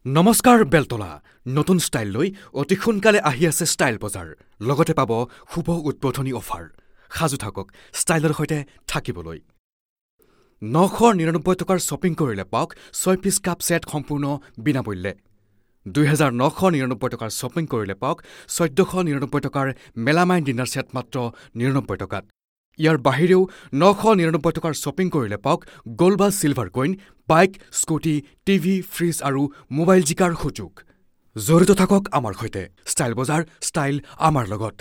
নমস্কাৰ বেলতলা, নতুন ষ্টাইল লৈ অতি সোনকালে আহি আছে ষ্টাইল বজাৰ। লগতে পাব শুভ উদ্বোধনী অফাৰ। সাজু থাকক ষ্টাইলৰ সৈতে থাকিবলৈ। 999 টকাৰ শ্বপিং কৰিলে পাওক 6 পিচ কাপ ছেট সম্পূৰ্ণ বিনামূল্যে। 2999 টকাৰ শ্বপিং কৰিলে পাওক 1499 টকাৰ মেলামাইন ডিনাৰ ছেট মাত্ৰ 99 টকাত। ইয়াৰ বাহিৰেও 999 টকাৰ শ্বপিং কৰিলে পাওক গ'ল্ড বা silver coin, bike, scooty, TV, fridge আৰু মোবাইল জিকাৰ সুযোগ। জড়িত থাকক আমাৰ সৈতে। ষ্টাইল বজাৰ, ষ্টাইল আমাৰ লগত।